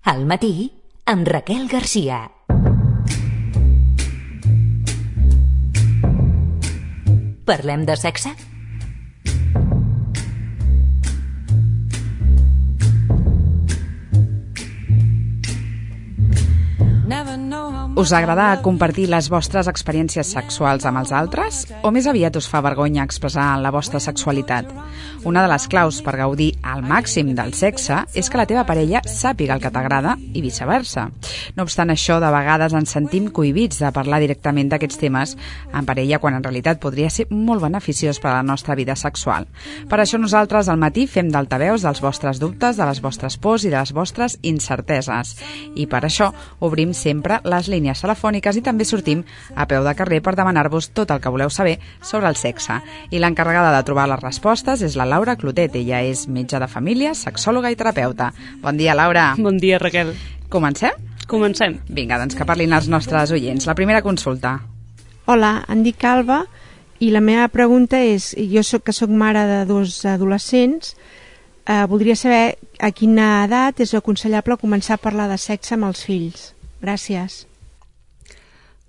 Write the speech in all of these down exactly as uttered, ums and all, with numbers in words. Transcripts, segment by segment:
Al matí, amb Raquel Garcia. Parlem de sexe? Us agrada compartir les vostres experiències sexuals amb els altres? O més aviat us fa vergonya expressar la vostra sexualitat? Una de les claus per gaudir al màxim del sexe és que la teva parella sàpiga el que t'agrada i viceversa. No obstant això, de vegades ens sentim cohibits de parlar directament d'aquests temes en parella, quan en realitat podria ser molt beneficiós per a la nostra vida sexual. Per això nosaltres al matí fem d'altaveus dels vostres dubtes, de les vostres pors i de les vostres incerteses. I per això obrim sempre les línies telefòniques i també sortim a peu de carrer per demanar-vos tot el que voleu saber sobre el sexe. I l'encarregada de trobar les respostes és la Laura Clotet. Ella és metge de família, sexòloga i terapeuta. Bon dia, Laura. Bon dia, Raquel. Comencem? Comencem. Vinga, doncs que parlin els nostres oients. La primera consulta. Hola, em dic Alba i la meva pregunta és, jo soc que soc mare de dos adolescents, eh, voldria saber a quina edat és aconsellable començar a parlar de sexe amb els fills. Gràcies.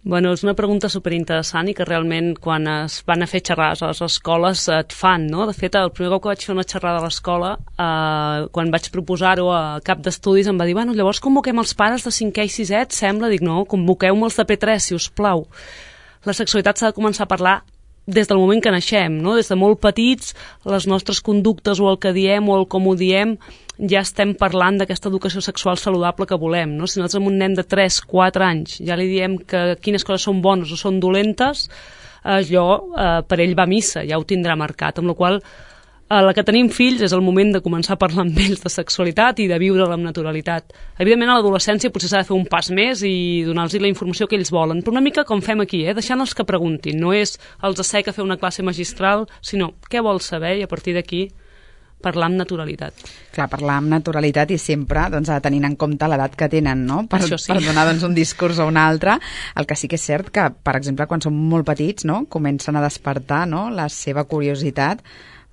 Bueno, és una pregunta superinteressant i que realment quan es van a fer xerrades a les escoles et fan, no? De fet, el primer cop que vaig fer una xerrada a l'escola, eh, quan vaig proposar-ho a cap d'estudis, em va dir, bueno, llavors convoquem els pares de cinquè i sisè, et sembla? Dic, no, convoqueu-me els de P tres, si us plau. La sexualitat s'ha de començar a parlar des del moment que naixem, no? Des de molt petits, les nostres conductes o el que diem o el com ho diem, ja estem parlant d'aquesta educació sexual saludable que volem, no? Si nosaltres amb un nen de tres quatre anys ja li diem que quines coses són bones o són dolentes, allò eh, per ell va a missa, ja ho tindrà marcat, amb la qual a la que tenim fills és el moment de començar a parlar amb ells de sexualitat i de viure-la amb naturalitat. Evidentment a l'adolescència potser s'ha de fer un pas més i donar-los la informació que ells volen, però una mica com fem aquí, eh? Deixant-los que preguntin, no és els assec a fer una classe magistral, sinó què vols saber i a partir d'aquí parlar amb naturalitat. Clar, parlar amb naturalitat i sempre doncs, tenint en compte l'edat que tenen, no? Per, Això sí. per donar doncs, un discurs o un altre. El que sí que és cert que, per exemple, quan són molt petits, no? Comencen a despertar, no? La seva curiositat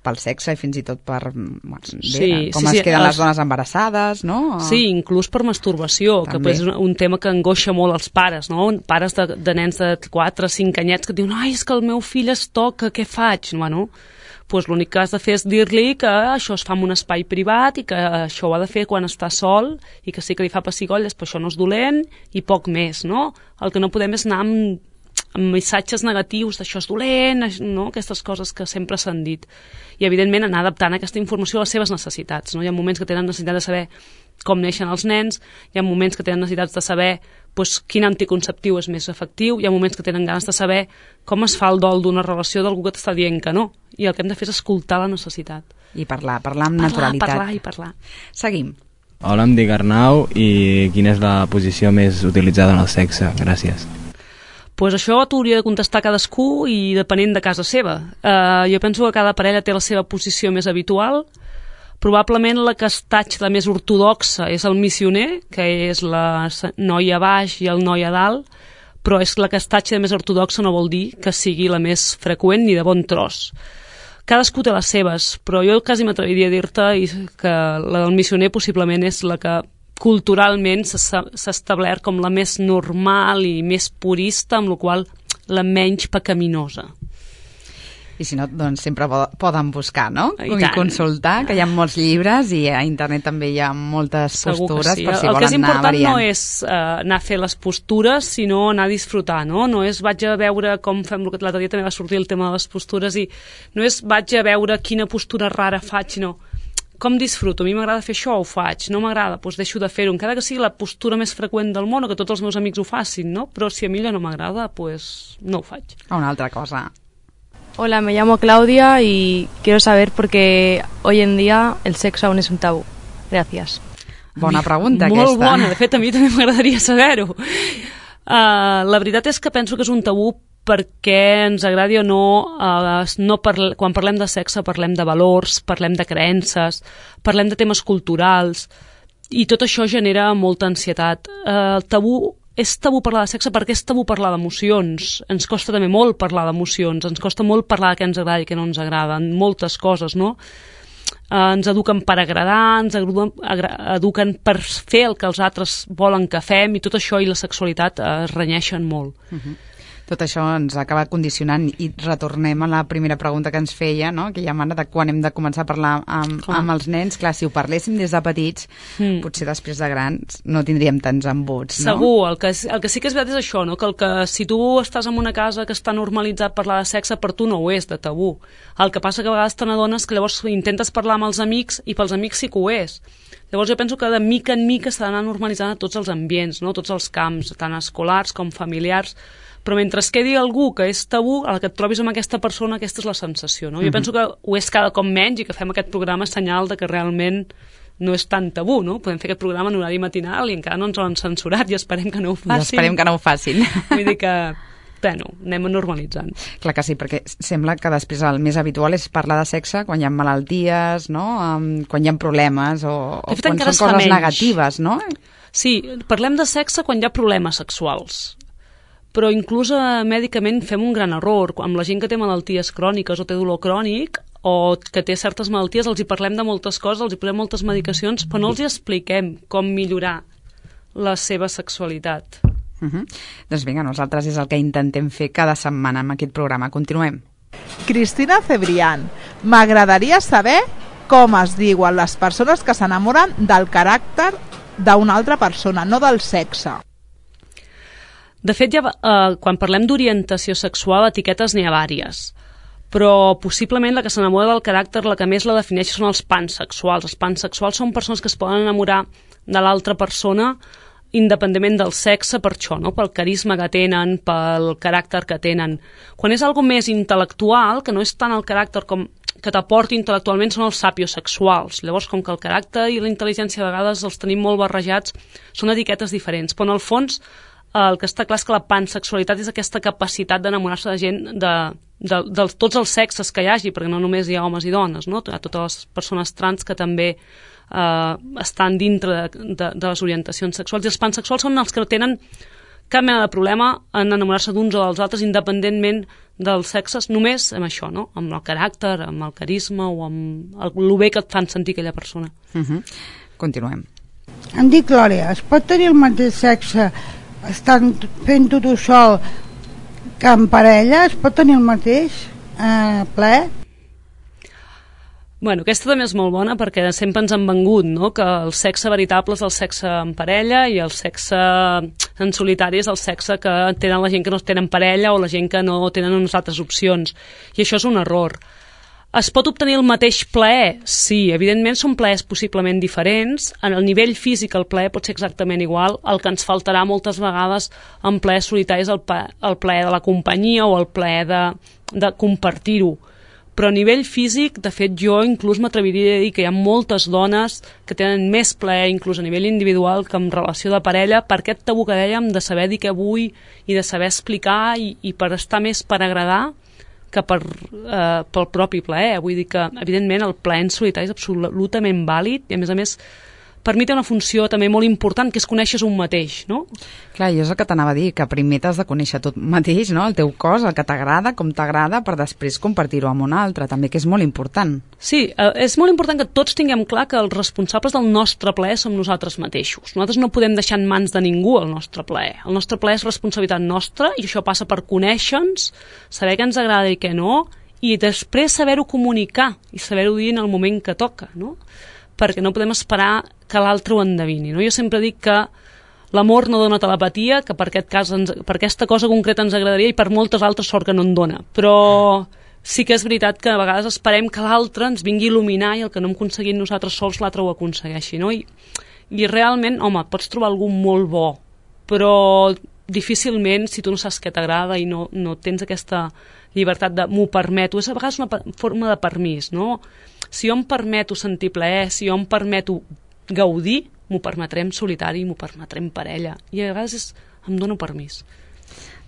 pel sexe i fins i tot per bueno, sí, bé, com sí, es sí, queden els... les dones embarassades, no? Sí, inclús per masturbació, també. Que és un tema que angoixa molt els pares, no? Pares de, de nens de quatre cinc anyets que diuen, ai, és que el meu fill es toca, què faig? Bueno, doncs l'únic que has de fer és dir-li que això es fa en un espai privat i que això ho ha de fer quan està sol i que sí que li fa pessigolles, però això no és dolent i poc més, no? El que no podem és anar amb amb missatges negatius d'això és dolent, no? Aquestes coses que sempre s'han dit. I, evidentment, anar adaptant aquesta informació a les seves necessitats, no? Hi ha moments que tenen necessitat de saber com neixen els nens, hi ha moments que tenen necessitats de saber doncs, quin anticonceptiu és més efectiu, hi ha moments que tenen ganes de saber com es fa el dol d'una relació d'algú que t'està dient que no. I el que hem de fer és escoltar la necessitat. I parlar, parlar amb parlar, naturalitat. Parlar, i parlar. Seguim. Hola, em dic Arnau i quina és la posició més utilitzada en el sexe? Gràcies. Pues això t'hauria de contestar cadascú i depenent de casa seva. Uh, jo penso que cada parella té la seva posició més habitual. Probablement la que es tatxa la més ortodoxa és el missioner, que és la noia a baix i el noi a dalt, però és la que es tatxa de més ortodoxa no vol dir que sigui la més freqüent ni de bon tros. Cadascú té les seves, però jo quasi m'atreviria a dir-te que la del missioner possiblement és la que culturalment s'ha establert com la més normal i més purista, amb la qual la menys pecaminosa. I si no, doncs sempre poden buscar, no? I, I consultar, que hi ha molts llibres i a internet també hi ha moltes Segur postures sí. per si el volen anar variant. El que és important no és uh, anar a fer les postures, sinó anar a disfrutar, no? No és vaig a veure com fem, l'altre dia també va sortir el tema de les postures i no és vaig a veure quina postura rara faig, sinó com disfruto, a mi m'agrada fer això, ho faig, no m'agrada, doncs deixo de fer-ho, encara que sigui la postura més freqüent del món o que tots els meus amics ho facin, no? Però si a mi allò no m'agrada, doncs no ho faig. Una altra cosa. Hola, me llamo Claudia y quiero saber por qué hoy en día el sexo aún es un tabú. Gracias. Bona pregunta, Molt aquesta. Molt bona, de fet a mi també m'agradaria saber-ho. Uh, la veritat és que penso que és un tabú perquè ens agradi o no, eh, no parle, quan parlem de sexe parlem de valors, parlem de creences, parlem de temes culturals i tot això genera molta ansietat. Eh, el tabú és tabú parlar de sexe perquè és tabú parlar d'emocions. Ens costa també molt parlar d'emocions, ens costa molt parlar de què ens agrada i què no ens agrada, en moltes coses, no? ens eduquen per agradar, ens eduquen per fer el que els altres volen que fem, i tot això i la sexualitat es renyeixen molt. Uh-huh. Tot això ens acaba condicionant, i retornem a la primera pregunta que ens feia, no? Que ja mana de quan hem de començar a parlar amb, amb els nens. Clar, si ho parléssim des de petits, mm. potser després de grans no tindríem tants embuts, no? Segur, el que, el que sí que és veritat és això, no? Que, el que si tu estàs en una casa que està normalitzat parlar de sexe, per tu no ho és, de tabú. El que passa que a vegades te n'adones que llavors intentes parlar amb els amics i pels amics sí que ho és. Llavors jo penso que de mica en mica s'ha d'anar normalitzant a tots els ambients, no? Tots els camps, tant escolars com familiars, però mentre es quedi algú que és tabú, a la que et trobis amb aquesta persona, aquesta és la sensació, no? Jo mm-hmm. penso que ho és cada cop menys, i que fem aquest programa senyal de que realment no és tan tabú, no? Podem fer aquest programa en horari matinal i encara no ens ho han censurat, i esperem que no ho facin. I esperem que no ho facin. Vull dir que, bueno, anem normalitzant. Clar que sí, perquè sembla que després el més habitual és parlar de sexe quan hi ha malalties, no? Um, quan hi ha problemes, o, o quan són coses menys. negatives, no? Sí, parlem de sexe quan hi ha problemes sexuals. Però inclús eh, mèdicament fem un gran error. Amb la gent que té malalties cròniques o té dolor crònic o que té certes malalties, els hi parlem de moltes coses, els hi posem moltes medicacions, però no els hi expliquem com millorar la seva sexualitat. Uh-huh. Doncs vinga, nosaltres és el que intentem fer cada setmana amb aquest programa. Continuem. Cristina Cebrián, m'agradaria saber com es diuen les persones que s'enamoren del caràcter d'una altra persona, no del sexe. De fet, ja, eh, quan parlem d'orientació sexual, etiquetes n'hi ha vàries, però possiblement la que s'enamora del caràcter, la que més la defineix, són els pansexuals. Els pansexuals són persones que es poden enamorar de l'altra persona independentment del sexe, per això, no? Pel carisma que tenen, pel caràcter que tenen. Quan és algo més intel·lectual, que no és tant el caràcter com que t'aporti intel·lectualment, són els sapiosexuals. Llavors, com que el caràcter i la intel·ligència a vegades els tenim molt barrejats, són etiquetes diferents, però en el fons el que està clar és que la pansexualitat és aquesta capacitat d'enamorar-se de gent de, de, de tots els sexes que hi hagi, perquè no només hi ha homes i dones, no? Hi ha totes les persones trans que també eh, estan dintre de, de, de les orientacions sexuals, i els pansexuals són els que no tenen cap mena de problema en enamorar-se d'uns o dels altres independentment dels sexes, només amb això, no? Amb el caràcter, amb el carisma o amb el, el bé que et fan sentir aquella persona. Uh-huh. Continuem. Em dic Glòria, es pot tenir el mateix sexe estan fent-ho tu sol que en parella? Es pot tenir el mateix eh, ple? Bueno, aquesta també és molt bona, perquè sempre ens han vengut, no?, que el sexe veritable és el sexe en parella i el sexe en solitari és el sexe que tenen la gent que no tenen parella o la gent que no tenen unes altres opcions, i això és un error. Es pot obtenir el mateix plaer? Sí, evidentment són plaers possiblement diferents. En el nivell físic el plaer pot ser exactament igual. El que ens faltarà moltes vegades en plaer solitari és el, el plaer de la companyia o el plaer de, de compartir-ho. Però a nivell físic, de fet, jo inclús m'atreviria a dir que hi ha moltes dones que tenen més plaer, inclús a nivell individual, que en relació de parella, per aquest tabú que dèiem de saber dir què vull i de saber explicar i, i per estar més per agradar que per, eh, pel propi plaer. Vull dir que, evidentment, el plaer en solitari és absolutament vàlid i, a més a més, per mi té una funció també molt important, que és conèixer un mateix, no? Clar, jo és el que t'anava a dir, que primer t'has de conèixer tot mateix, no?, el teu cos, el que t'agrada, com t'agrada, per després compartir-ho amb un altre, també, que és molt important. Sí, eh, és molt important que tots tinguem clar que els responsables del nostre plaer som nosaltres mateixos. Nosaltres no podem deixar en mans de ningú el nostre plaer. El nostre plaer és responsabilitat nostra, i això passa per conèixer-nos, saber què ens agrada i què no, i després saber-ho comunicar i saber-ho dir en el moment que toca, no?, perquè no podem esperar que l'altre ho endevini, no? Jo sempre dic que l'amor no dona telepatia, que per aquest cas ens, per aquesta cosa concreta ens agradaria, i per moltes altres sort que no en dona, però sí que és veritat que a vegades esperem que l'altre ens vingui a il·luminar, i el que no hem aconseguit nosaltres sols l'altre ho aconsegueixi, no? I, i realment, home, pots trobar algú molt bo, però difícilment, si tu no saps què t'agrada i no, no tens aquesta llibertat de m'ho permeto, és a vegades una forma de permís, no? Si jo em permeto sentir plaer, si jo em permeto gaudir, m'ho permetré en solitari, m'ho permetré en parella, i a vegades és, em dono permís.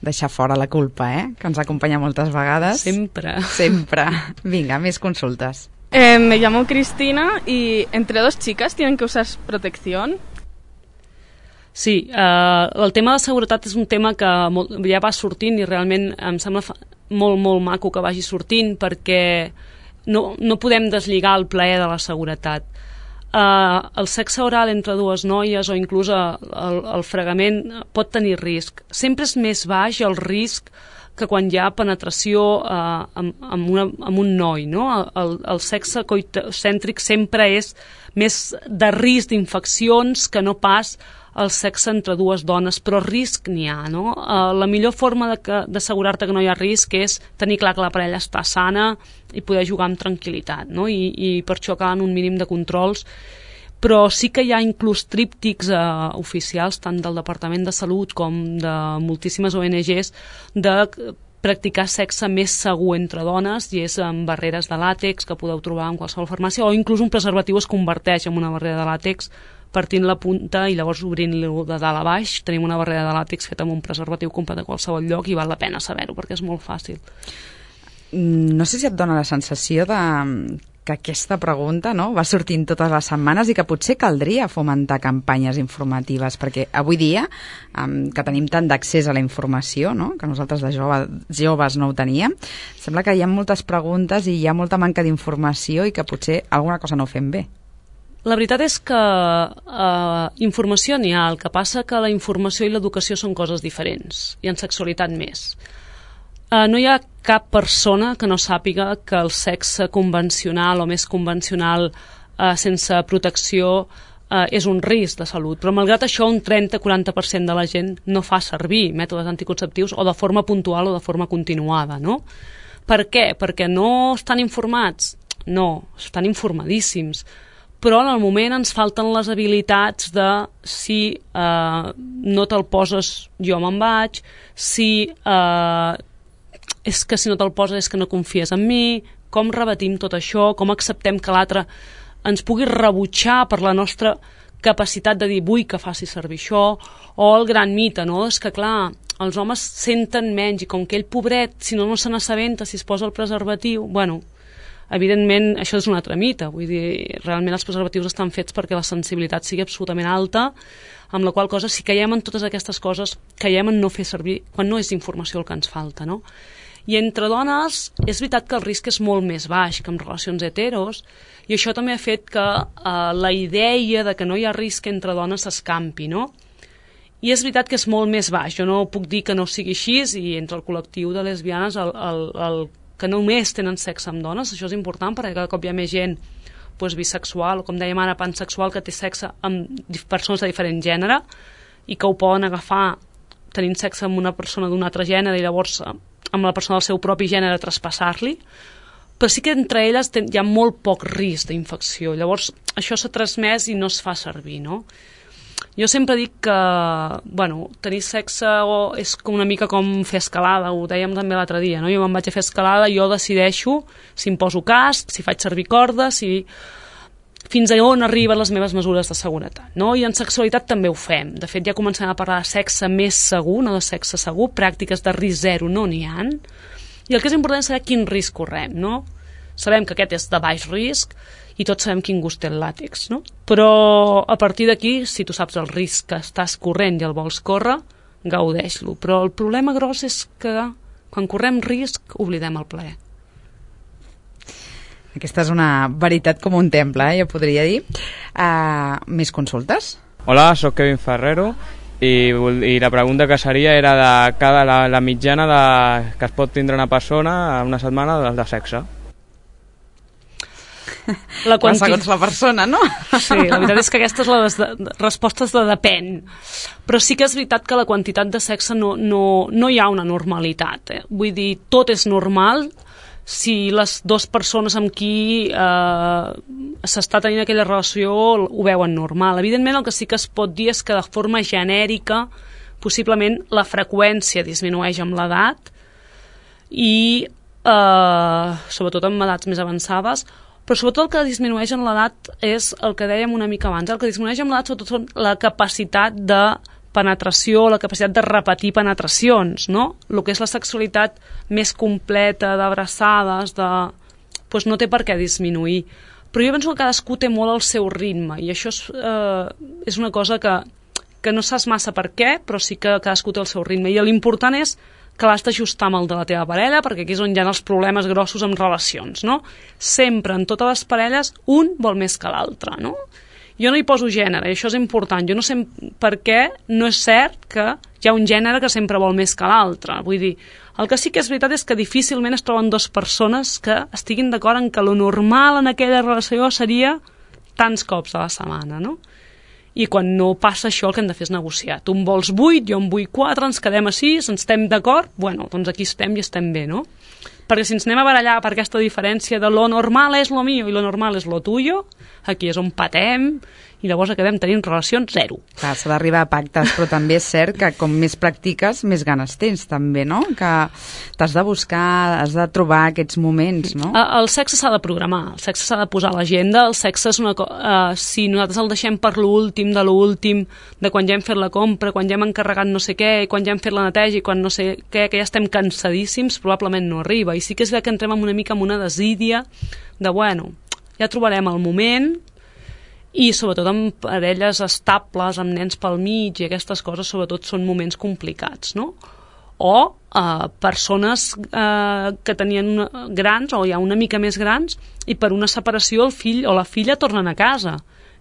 Deixar fora la culpa, eh?, que ens acompanya moltes vegades. Sempre. Sempre. Vinga, més consultes. Eh, me llamo Cristina y entre dos chicas tienen que usar protección. Sí, eh, el tema de seguretat és un tema que molt, ja va sortint, i realment em sembla fa, molt, molt maco que vagi sortint, perquè no, no podem deslligar el plaer de la seguretat. Uh, el sexe oral entre dues noies o inclús el, el fregament pot tenir risc. Sempre és més baix el risc que quan hi ha penetració uh, amb, amb, una, amb un noi, no? El, el sexe coitocèntric sempre és més de risc d'infeccions que no pas el sexe entre dues dones, però risc n'hi ha, no? Uh, la millor forma d'assegurar-te que no hi ha risc és tenir clar que la parella està sana i poder jugar amb tranquil·litat, no? I, i per això calen un mínim de controls, però sí que hi ha inclús tríptics eh, oficials, tant del Departament de Salut com de moltíssimes O N Ges, de practicar sexe més segur entre dones, i és amb barreres de làtex que podeu trobar en qualsevol farmàcia, o inclús un preservatiu es converteix en una barrera de làtex partint la punta i llavors obrint-lo de dalt a baix. Tenim una barrera de làtex feta amb un preservatiu comprat a qualsevol lloc i val la pena saber-ho perquè és molt fàcil. No sé si et dona la sensació de que aquesta pregunta, no, va sortint totes les setmanes i que potser caldria fomentar campanyes informatives, perquè avui dia um, que tenim tant d'accés a la informació, no, que nosaltres de jove, joves no ho teníem, sembla que hi ha moltes preguntes i hi ha molta manca d'informació i que potser alguna cosa no ho fem bé. La veritat és que eh, informació n'hi ha, el que passa que la informació i l'educació són coses diferents, i en sexualitat més. Eh, no hi ha cap persona que no sàpiga que el sexe convencional o més convencional eh, sense protecció eh, és un risc de salut, però malgrat això un trenta a quaranta per cent de la gent no fa servir mètodes anticonceptius o de forma puntual o de forma continuada, no? Per què? Perquè no estan informats? No, estan informadíssims, però en el moment ens falten les habilitats de si eh, no te'l poses jo me'n vaig, si eh, és que si no te'l poses és que no confies en mi, com rebatim tot això, com acceptem que l'altre ens pugui rebutjar per la nostra capacitat de dir vull que faci servir això, o el gran mite, no? És que clar, els homes senten menys i com que ell, pobret, si no no se n'assabenta si es posa el preservatiu, bueno, evidentment això és un altre mite, vull dir, realment els preservatius estan fets perquè la sensibilitat sigui absolutament alta, amb la qual cosa si caiem en totes aquestes coses, caiem en no fer servir quan no és informació el que ens falta, no? I entre dones és veritat que el risc és molt més baix que en relacions heteros, i això també ha fet que eh, la idea de que no hi ha risc entre dones s'escampi, no? I és veritat que és molt més baix, jo no puc dir que no sigui així, i entre el col·lectiu de lesbianes el, el, el que només tenen sexe amb dones, això és important perquè cada cop hi ha més gent doncs, bisexual o com dèiem ara pansexual que té sexe amb persones de diferent gènere i que ho poden agafar tenint sexe amb una persona d'un altre gènere i llavors amb la persona del seu propi gènere traspassar-li, però sí que entre elles ten, hi ha molt poc risc d'infecció, llavors això s'ha transmès i no es fa servir, no? Jo sempre dic que, bueno, tenir sexe és una mica com fer escalada, ho dèiem també l'altre dia, no? Jo me'n vaig a fer escalada, jo decideixo si em poso casc, si faig servir cordes, si fins a on arriben les meves mesures de seguretat, no? I en sexualitat també ho fem. De fet, ja comencem a parlar de sexe més segur, no de sexe segur, pràctiques de risc zero no n'hi ha. I el que és important és saber quin risc correm, no? Sabem que aquest és de baix risc, i tots sabem quin gust té el làtex, no? Però a partir d'aquí, si tu saps el risc que estàs corrent i el vols córrer, gaudeix-lo. Però el problema gros és que quan correm risc oblidem el plaer. Aquesta és una veritat com un temple, eh, jo podria dir. Uh, més consultes? Hola, sóc Kevin Ferrero i, i la pregunta que seria era de cada la, la mitjana de, que es pot tindre una persona una setmana de, de sexe. La quanti... segons la persona, no? Sí, la veritat és que aquesta és la de... resposta de depèn. Però sí que és veritat que la quantitat de sexe no, no, no hi ha una normalitat. Eh? Vull dir, tot és normal si les dues persones amb qui eh, s'està tenint aquella relació ho veuen normal. Evidentment, el que sí que es pot dir és que de forma genèrica possiblement la freqüència disminueix amb l'edat i eh, sobretot en edats més avançades, però sobretot el que disminueix en l'edat és el que dèiem una mica abans. El que disminueix en l'edat sobretot són la capacitat de penetració, la capacitat de repetir penetracions, no? El que és la sexualitat més completa, d'abraçades, de... pues no té per què disminuir. Però jo penso que cadascú té molt el seu ritme i això és, eh, és una cosa que, que no saps massa per què, però sí que cadascú té el seu ritme. I l'important és que l'has d'ajustar amb el de la teva parella, perquè aquí és on hi ha els problemes grossos amb relacions, no? Sempre, en totes les parelles, un vol més que l'altre, no? Jo no hi poso gènere, i això és important. Jo no sé per què no és cert que hi ha un gènere que sempre vol més que l'altre. Vull dir, el que sí que és veritat és que difícilment es troben dues persones que estiguin d'acord en que lo normal en aquella relació seria tants cops a la setmana, no? I quan no passa això, el que hem de fer és negociar. Tu en vols vuit, jo en vull quatre, ens quedem a sis, ens estem d'acord, bueno, doncs aquí estem i estem bé, no? Perquè si ens anem a barallar per aquesta diferència de lo normal és lo mío i lo normal és lo tuyo, aquí és on patem i llavors acabem tenint relacions zero. Clar, s'ha d'arribar a pactes, però també és cert que com més practiques, més ganes tens també, no? Que t'has de buscar, has de trobar aquests moments, no? El sexe s'ha de programar, el sexe s'ha de posar a l'agenda, el sexe és una cosa... Uh, si nosaltres el deixem per l'últim, de l'últim, de quan ja hem fet la compra, quan ja hem encarregat no sé què, quan ja hem fet la neteja i quan no sé què, que ja estem cansadíssims, probablement no arriba. I sí que és que entrem una mica amb una desídia de, bueno, ja trobarem el moment, i sobretot amb parelles estables, amb nens pel mig i aquestes coses, sobretot són moments complicats, no? O eh, persones eh, que tenien una, grans o ja una mica més grans i per una separació el fill o la filla tornen a casa.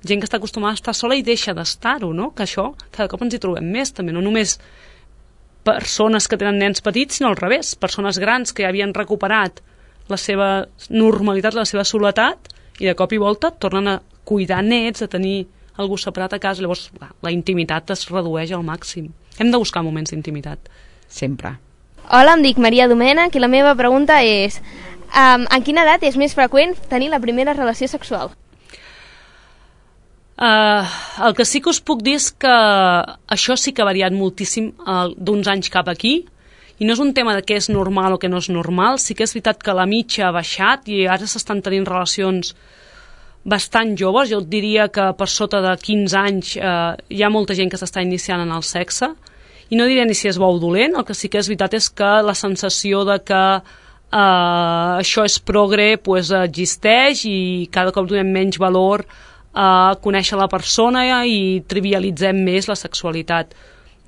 Gent que està acostumada a estar sola i deixa d'estar-ho, no? Que això cada cop ens hi trobem més també, no només persones que tenen nens petits, sinó al revés, persones grans que ja havien recuperat la seva normalitat, la seva soledat i de cop i volta tornen a cuidar nets, a tenir algú separat a casa, llavors la intimitat es redueix al màxim. Hem de buscar moments d'intimitat. Sempre. Hola, em dic Maria Domènech i la meva pregunta és um, en quina edat és més freqüent tenir la primera relació sexual? Uh, el que sí que us puc dir és que això sí que ha variat moltíssim uh, d'uns anys cap aquí, i no és un tema de què és normal o què no és normal, sí que és veritat que la mitja ha baixat i ara s'estan tenint relacions bastant joves. Jo et diria que per sota de quinze anys eh, hi ha molta gent que s'està iniciant en el sexe, i no diré ni si és bo o dolent, el que sí que és veritat és que la sensació de que eh, això és progre pues, existeix i cada cop donem menys valor a conèixer la persona i trivialitzem més la sexualitat.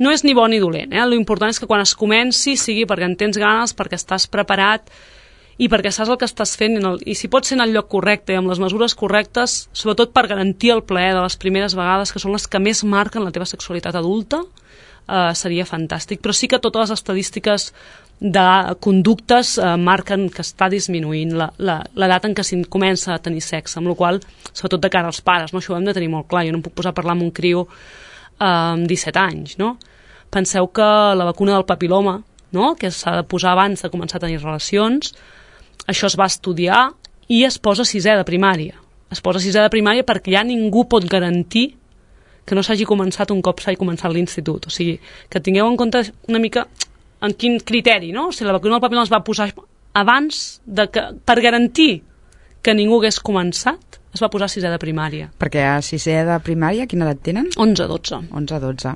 No és ni bo ni dolent, eh? L'important és que quan es comenci sigui perquè en tens ganes, perquè estàs preparat i perquè saps el que estàs fent i, el, i si pot ser en el lloc correcte i amb les mesures correctes, sobretot per garantir el plaer de les primeres vegades, que són les que més marquen la teva sexualitat adulta, eh, seria fantàstic. Però sí que totes les estadístiques de conductes eh, marquen que està disminuint l'edat en què s'hi comença a tenir sexe, amb la qual cosa, sobretot de cara als pares, no? Això ho hem de tenir molt clar. Jo no em puc posar a parlar amb un criu eh, amb disset anys, no? Penseu que la vacuna del papiloma, no? Que s'ha de posar abans de començar a tenir relacions, això es va estudiar i es posa a sisè de primària. Es posa a sisè de primària perquè ja ningú pot garantir que no s'hagi començat un cop s'hagi començat l'institut. O sigui, que tingueu en compte una mica en quin criteri, no? O sigui, la vacuna del papiloma es va posar abans de que, per garantir que ningú hagués començat, es va posar a sisè de primària. Perquè a sisè de primària, quina edat tenen? onze a dotze. onze a dotze.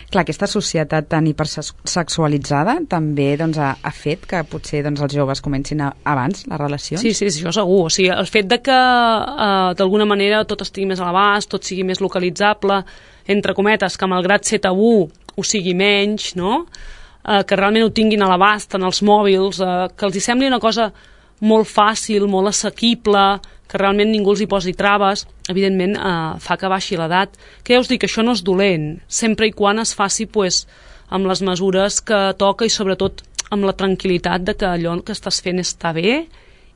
Clar, aquesta societat tan hipersexualitzada també doncs, ha, ha fet que potser doncs, els joves comencin a, abans les relacions? Sí, sí, sí, això segur. O sigui, el fet de que eh, d'alguna manera tot estigui més a l'abast, tot sigui més localitzable, entre cometes, que malgrat ser tabú ho sigui menys, no? Eh, que realment ho tinguin a l'abast en els mòbils, eh, que els hi sembli una cosa molt fàcil, molt assequible, que realment ningú els hi posi traves, evidentment eh, fa que baixi l'edat. Que ja us dic, això no és dolent, sempre i quan es faci pues, amb les mesures que toca i sobretot amb la tranquil·litat de que allò que estàs fent està bé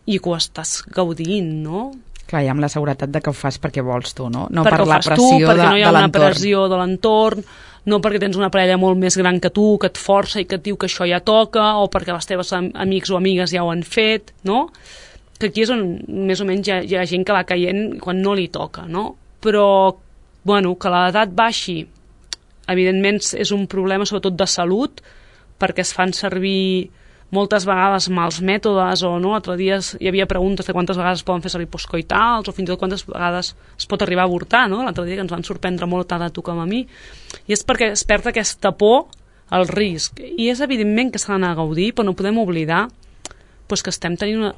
i que ho estàs gaudint, no? Clar, i amb la seguretat de que ho fas perquè vols tu, no? No perquè per la pressió tu, perquè no hi ha de una pressió de l'entorn, no perquè tens una parella molt més gran que tu, que et força i que et diu que això ja toca, o perquè les teves amics o amigues ja ho han fet, no? Que aquí és on més o menys hi ha, hi ha gent que va caient quan no li toca, no? Però, bueno, que l'edat baixi, evidentment és un problema sobretot de salut, perquè es fan servir moltes vegades mals mètodes, o no, l'altre dia hi havia preguntes de quantes vegades es poden fer servir postcoitals, o fins i tot quantes vegades es pot arribar a avortar, no? L'altre dia que ens van sorprendre molt tant a tu com a mi, i és perquè es perd aquesta por al risc, i és evidentment que s'ha d'anar a gaudir, però no podem oblidar pues, que estem tenint una,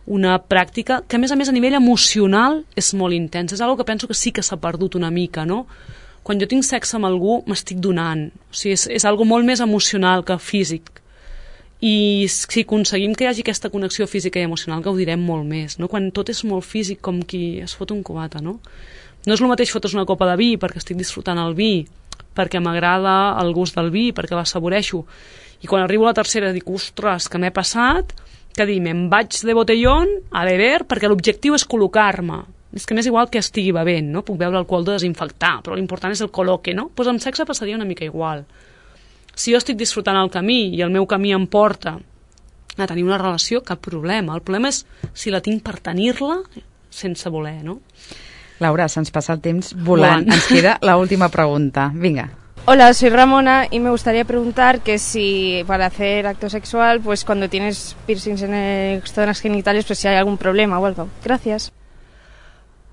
una pràctica que a més a més a nivell emocional és molt intensa, és una cosa que penso que sí que s'ha perdut una mica, no? Quan jo tinc sexe amb algú m'estic donant, o sigui, és, és algo molt més emocional que físic. i si aconseguim que hi hagi aquesta connexió física i emocional gaudirem molt més, no? Quan tot és molt físic, com qui es fot un cubata, no? No és el mateix fotre's una copa de vi perquè estic disfrutant el vi, perquè m'agrada el gust del vi, perquè l'assaboreixo, i quan arribo a la tercera dic, ostres, que m'he passat, que dir, me'n vaig de botellón a beber perquè l'objectiu és col·locar-me. És que m'és igual que estigui bevent, no? Puc beure alcohol de desinfectar, però l'important és el col·loque, no? Doncs amb sexe passaria una mica igual. Si jo estic disfrutant el camí i el meu camí em porta a tenir una relació, cap problema. El problema és si la tinc per tenir-la sense voler, no? Laura, se'ns passa el temps volant. Volant. Ens queda l'última pregunta. Vinga. Hola, soy Ramona y me gustaría preguntar que si para hacer acto sexual, pues cuando tienes piercings en el- zonas genitales, pues si hay algún problema o algo. Gracias.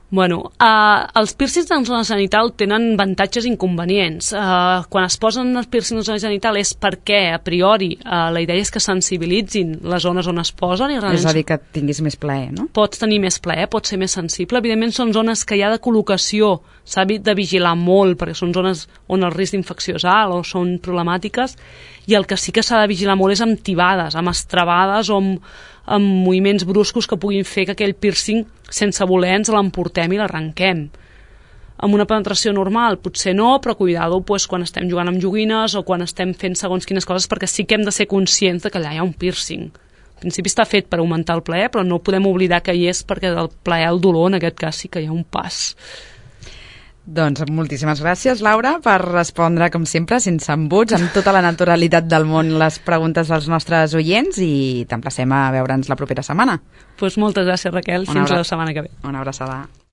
Bueno, uh, els piercings en zona genital tenen avantatges i inconvenients. Uh, quan es posen els piercings en zona genital és perquè, a priori, uh, la idea és que sensibilitzin les zones on es posen. I realment És a dir, que tinguis més plaer, no? pots tenir més plaer, pots ser més sensible. Evidentment són zones que hi ha de col·locació, s'ha de vigilar molt, perquè són zones on el risc d'infecció és alt o són problemàtiques, i el que sí que s'ha de vigilar molt és amb tibades, amb estrabades o amb, amb moviments bruscos que puguin fer que aquell piercing, sense voler, ens l'emportem i l'arrenquem. Amb una penetració normal, potser no, però cuidado pues, quan estem jugant amb joguines o quan estem fent segons quines coses, perquè sí que hem de ser conscients de que allà hi ha un piercing. En principi està fet per augmentar el plaer, però no podem oblidar que hi és perquè del plaer al dolor, en aquest cas sí que hi ha un pas. Doncs moltíssimes gràcies, Laura, per respondre, com sempre, sense embuts, amb tota la naturalitat del món, les preguntes dels nostres oients, i t'emplacem a veure'ns la propera setmana. Pues moltes gràcies, Raquel. Una Fins abra- la setmana que ve. Una abraçada.